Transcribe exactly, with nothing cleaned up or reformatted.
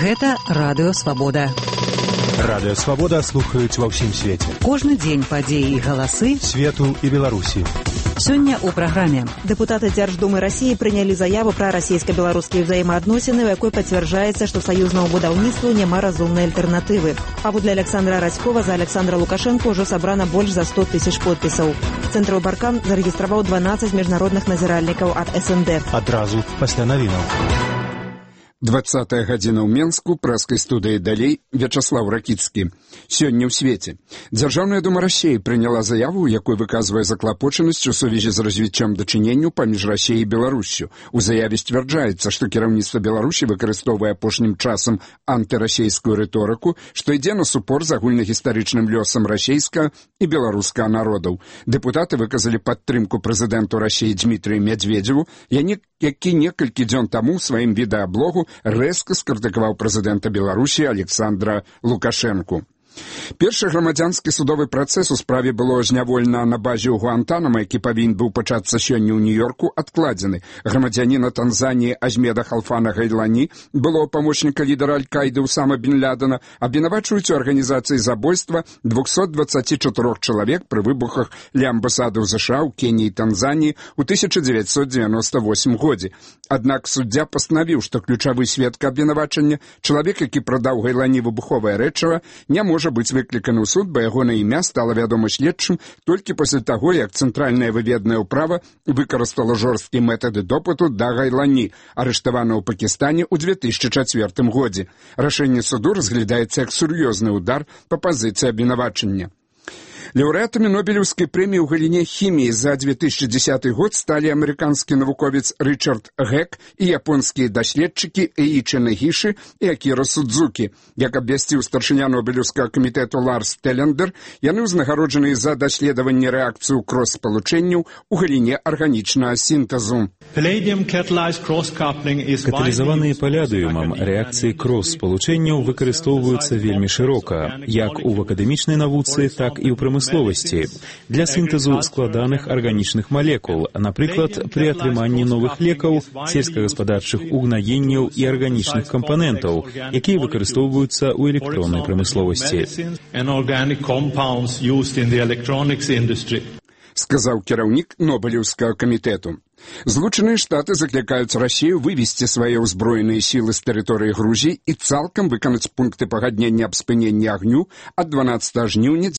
Гэта Радыё Свабода. Радыё Свабода слухаюць ва ўсім свеце. Кожны дзень падзеі і галасы свету і Беларусі. Сёння ў праграме. Дэпутаты Дзярждумы Расіі прынялі заяву пра расійска-беларускія ўзаемаадносіны, у якой пацвярджаецца, што саюзнаму будаўніцтву няма разумнай альтэрнатывы. Паводле Александра Радзькова за Александра Лукашенко ўжо сабрана больш за сто тысяч подпісаў. Цэнтр Баркан зарэгістраваў дванаццаць міжнародных назіральнікаў ад эс эн дэ. Адразу пасля навінаў. двадцатая гадзіна ў Менску, прэскай студыі далей, Вячаслаў Ракіцкі. Сёння ў свеце. Дзяржаўная дума Расіі прыняла заяву, у якой выказвае заклапочанасць у сувязі з развіццём дачыненняў паміж Расіяй і Беларуссю. У заяве сцвярджаецца, што кіраўніцтва Беларусі выкарыстоўвае апошнім часам антырасійскую рыторыку, што ідзе на супор з агульнагістарычным лёсам расійскага і беларускага народаў. Дэпутаты выказалі падтрымку прэзідэнту Расіі Дмітрію Медведзеву, які некалькі дзён таму ў сваім відэаблогу рэзка скрытыкаваў прэзідэнта Беларусі Александра Лукашэнку. Першы грамадзянскі судовы працэс у справе было зняволена на базе ў Гуантанамо, які павінен быў пачацца сёння ў Нью-Йорку, адкладзены. Грамадзяніна Танзаніі Азмеда Халфана Гайлані, былого памочніка лідара Аль-Каіды Усама бін Лядена, абвінавачваюць у арганізацыі забойства двухсот двадцати чатырох чалавек пры выбухах ля амбасады ў ЗША ў Кеніі і Танзаніі ў тысяча дзевяцьсот дзевяноста восьмым годзе. Аднак суддзя пастанавіў, што ключавы сведка абвінавачання, чалавек, які прадаў Гайлані выбуховае рэчыва, не можа быць выкліканы ў суд, бо яго на імя стала вядома следчым толькі пасля таго, як цэнтральнае выведнае ўправа выкарыстала жорсткія метады допыту да Гайлані, арыштавана ў Пакістане ў две тысячы чацвёртым годзе. Рашэнне суду разглядаецца як сур'ёзны ўдар па пазіцыі абвінавачання. Лаўрэатамі Нобелеўскай прэміі ў галіне хіміі за две тысячи дзесяты год сталі амерыканскі навуковец Рычард Гек і японскія даследчыкі Эічі Нагіші і Акіра Судзукі. Як абвясціў старшыня Нобелеўскага камітэту Ларс Телендер, яны ўзнагароджаныя за даследаванне рэакцыі крос-спалучэнняў у галіне арганічнага сінтэзу. Каталізаваныя палядыумам рэакцыі крос-спалучэнняў выкарыстоўваюцца вельмі шырока, як у акадэмічнай навуцы, так і ў прамысловасці. Для сінтэзу складаных арганічных малекул, напрыклад, пры атрыманні новых лекаў, сельскагаспадарчых угнаенняў і арганічных кампанентаў, якія выкарыстоўваюцца ў электроннай прамысловасці. Сказаў кіраўнік Нобелеўскага камітэту. Злучаныя Штаты заклікаюць Расію вывесці свае ўзброеныя сілы з тэрыторыі Грузіі і цалкам выканаць пункты пагаднення аб спыненні агню ад дванаццатага жніўня